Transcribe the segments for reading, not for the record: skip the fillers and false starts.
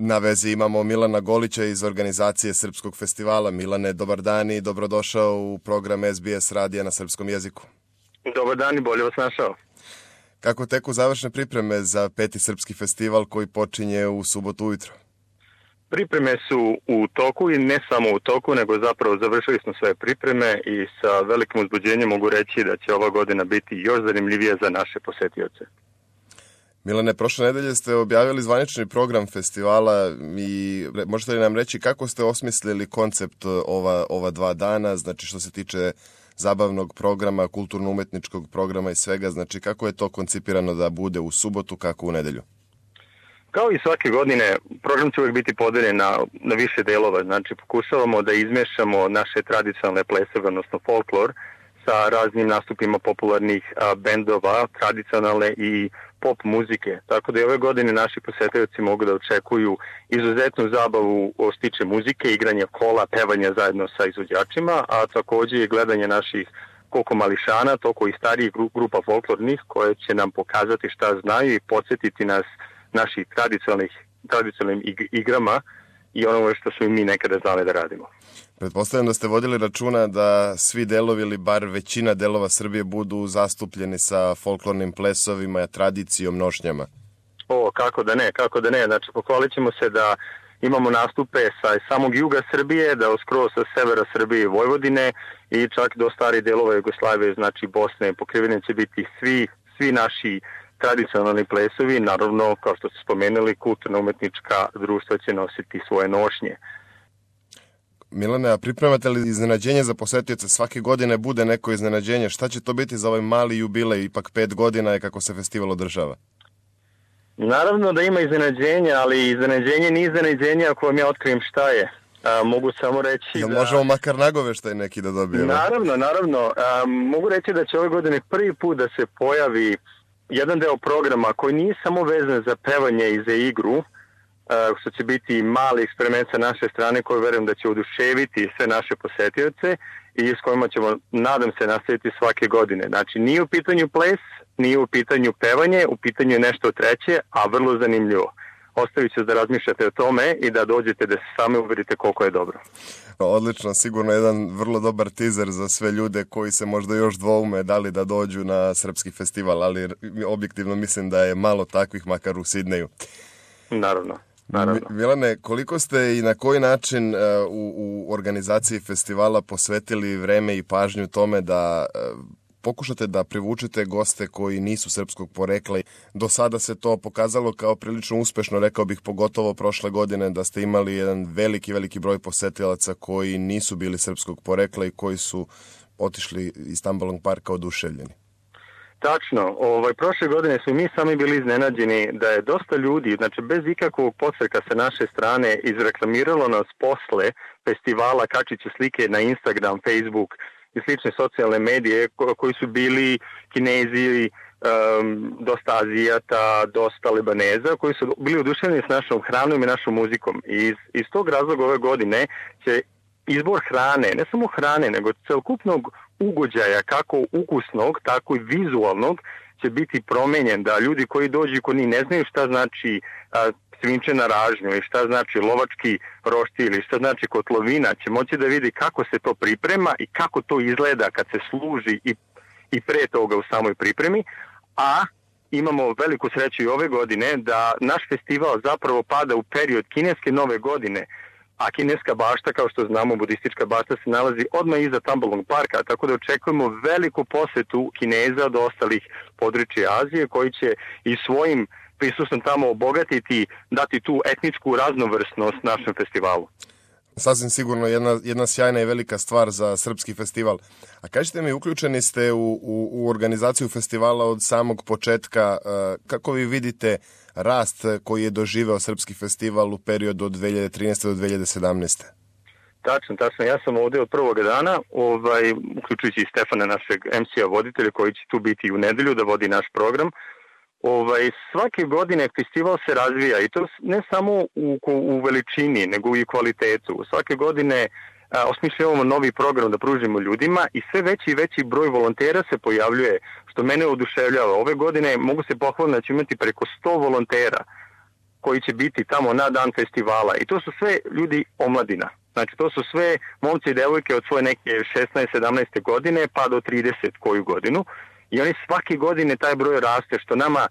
Na vezi imamo Milana Golića iz organizacije Srpskog festivala. Milane, dobar dan i dobrodošao u program SBS radija na srpskom jeziku. Dobar dan i bolje vas našao. Kako teku završne pripreme za 5. Srpski festival koji počinje u subotu ujutro? Pripreme su u toku i ne samo u toku, nego zapravo završili smo sve pripreme i sa velikim uzbuđenjem mogu reći da će ova godina biti još zanimljivija za naše posetioce. Milane, prošle nedelje ste objavili zvanični program festivala i možete li nam reći kako ste osmislili koncept ova 2 dana, znači što se tiče zabavnog programa, kulturno-umetničkog programa i svega, znači kako je to koncipirano da bude u subotu, kako u nedelju? Kao i svake godine, program će uvijek biti podeljen na više delova, znači pokušavamo da izmešamo naše tradicionalne plesove, odnosno folklor, sa raznim nastupima popularnih bendova, tradicionalne i pop muzike. Tako da i ove godine naši posetioci mogu da očekuju izuzetnu zabavu što se tiče muzike, igranja kola, pevanja zajedno sa izvođačima, a također i gledanje naših koliko mališana, toliko i starijih grupa folklornih koje će nam pokazati šta znaju i podsjetiti nas naših tradicionalnim igrama i ono što smo i mi nekada znali da radimo. Pretpostavljam da ste vodili računa da svi delovi ili bar većina delova Srbije budu zastupljeni sa folklornim plesovima, tradicijom, nošnjama. Kako da ne. Znači, pohvalit ćemo se da imamo nastupe sa samog juga Srbije, da skroz sa severa Srbije i Vojvodine i čak do starih delova Jugoslavije, znači Bosne. Pokriveni će biti svi naši tradicionalni plesovi, naravno, kao što ste spomenuli, kulturno-umetnička društva će nositi svoje nošnje. Milane, a pripremate li iznenađenje za posetioce? Svake godine bude neko iznenađenje. Šta će to biti za ovaj mali jubilej? Ipak 5 godina je kako se festival održava. Naravno da ima iznenađenja, ali iznenađenje nije iznenađenje ako vam ja otkrijem šta je. Mogu samo reći da... možemo makar nagoveštaj neki da dobijemo? Naravno. Mogu reći da će ove godine prvi put da se pojavi jedan deo programa koji nije samo vezan za pevanje i za igru, što će biti mali eksperiment sa naše strane koji verujem da će oduševiti sve naše posetioce i s kojima ćemo, nadam se, nastaviti svake godine. Znači, nije u pitanju ples, nije u pitanju pevanje, u pitanju je nešto treće, a vrlo zanimljivo. Ostavit ću da razmišljate o tome i da dođete da se sami uverite koliko je dobro. Odlično, sigurno jedan vrlo dobar teaser za sve ljude koji se možda još dvoume da li da dođu na Srpski festival, ali objektivno mislim da je malo takvih, makar u Sidneju. Naravno. Milane, koliko ste i na koji način u organizaciji festivala posvetili vreme i pažnju tome da pokušate da privučete goste koji nisu srpskog porekla? Do sada se to pokazalo kao prilično uspešno, rekao bih, pogotovo prošle godine, da ste imali jedan veliki broj posetilaca koji nisu bili srpskog porekla i koji su otišli iz Tambalong parka oduševljeni. Tačno, prošle godine su mi sami bili iznenađeni da je dosta ljudi, znači bez ikakvog podsreka sa naše strane, izreklamiralo nas posle festivala kačiće slike na Instagram, Facebook i slične socijalne medije koji su bili Kinezi, dosta Azijata, dosta Libaneza, koji su bili oduševljeni s našom hranom i našom muzikom. I iz tog razloga ove godine će izbor hrane, ne samo hrane, nego celokupnog ugođaja, kako ukusnog, tako i vizualnog, će biti promenjen, da ljudi koji dođu i koji ne znaju šta znači svinče na ražnju ili šta znači lovački roštilj ili šta znači kotlovina, će moći da vidi kako se to priprema i kako to izgleda kad se služi i pre toga u samoj pripremi, a imamo veliku sreću i ove godine da naš festival zapravo pada u period kineske nove godine, a kineska bašta, kao što znamo, budistička bašta se nalazi odmah iza Tambalong parka, tako da očekujemo veliku posetu Kineza do ostalih područja Azije, koji će i svojim prisustvom tamo obogatiti, dati tu etničku raznovrsnost našem festivalu. Sasvim sigurno jedna sjajna i velika stvar za Srpski festival. A kažete mi, uključeni ste u organizaciju festivala od samog početka. Kako vi vidite rast koji je doživeo Srpski festival u periodu od 2013. do 2017. Tačno. Ja sam ovdje od prvoga dana, uključujući i Stefana, našeg MC-a voditelja, koji će tu biti u nedelju da vodi naš program. Svake godine festival se razvija i to ne samo u veličini, nego i kvalitetu. Svake godine osmišljavamo novi program da pružimo ljudima i sve veći i veći broj volontera se pojavljuje, što mene oduševljava. Ove godine mogu se pohvaliti da ćemo imati preko 100 volontera. koji će biti tamo na dan festivala. I to su sve ljudi omladina. Znači, to su sve momci i devojke od svoje neke 16-17 godine pa do 30 koju godinu. I oni svake godine taj broj raste, što nama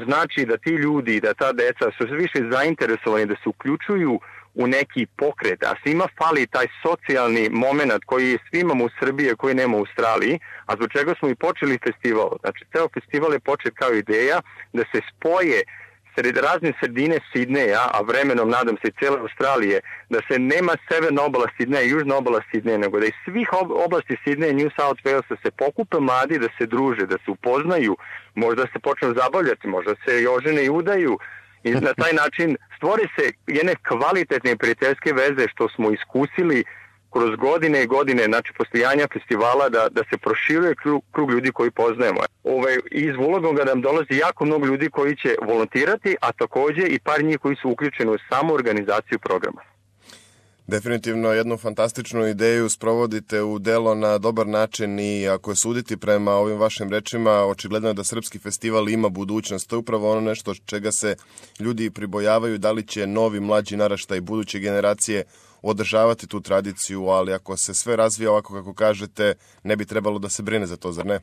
znači da ti ljudi, da ta deca su sve više zainteresovani da se uključuju u neki pokret, a svima fali taj socijalni moment koji svi imamo u Srbiji, koji nema u Australiji, a zbog čega smo i počeli festival. Znači, ceo festival je počet kao ideja da se spoje razne sredine Sidneja, a vremenom, nadam se, i cijele Australije, da se nema severna obala Sidneja i južna obala Sidneja, nego da iz svih oblasti Sidneja i New South Walesa se pokupe mladi da se druže, da se upoznaju, možda se počnu zabavljati, možda se i ožene i udaju, i na taj način stvore se jedne kvalitetne prijateljske veze što smo iskusili kroz godine i godine, znači postojanja festivala, da se proširuje krug ljudi koji poznajemo. Iz Wollongonga nam dolazi jako mnogo ljudi koji će volontirati, a takođe i par njih koji su uključeni u samu organizaciju programa. Definitivno jednu fantastičnu ideju sprovodite u delo na dobar način i ako je suditi prema ovim vašim rečima, očigledno je da Srpski festival ima budućnost. To je upravo ono nešto čega se ljudi pribojavaju, da li će novi mlađi naraštaj buduće generacije održavati tu tradiciju, ali ako se sve razvija ovako kako kažete, ne bi trebalo da se brine za to, zar ne?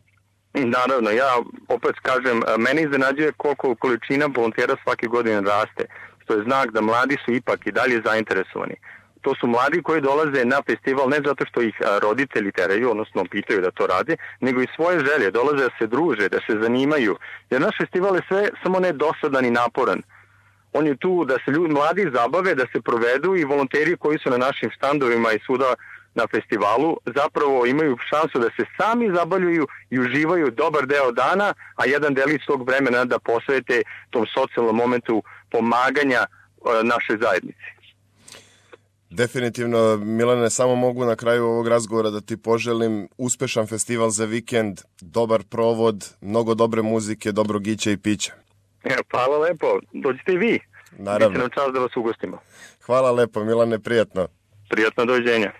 Naravno, ja opet kažem, mene iznenađuje koliko količina volontera svake godine raste, što je znak da mladi su ipak i dalje zainteresovani. To su mladi koji dolaze na festival ne zato što ih roditelji teraju, odnosno pitaju da to rade, nego i svoje želje, dolaze da se druže, da se zanimaju. Jer naš festival je sve samo ne dosadan i naporan. On je tu da se mladi zabave, da se provedu i volonteri koji su na našim štandovima i svuda na festivalu zapravo imaju šansu da se sami zabavljuju i uživaju dobar deo dana, a jedan delić tog vremena da posvete tom socijalnom momentu pomaganja našoj zajednici. Definitivno, Milane, samo mogu na kraju ovog razgovora da ti poželim uspešan festival za vikend, dobar provod, mnogo dobre muzike, dobrog ića i pića. Hvala lepo, dođite i vi. Naravno. Biće nam čast da vas ugostimo. Hvala lepo, Milane, prijatno. Prijatno, doviđenja.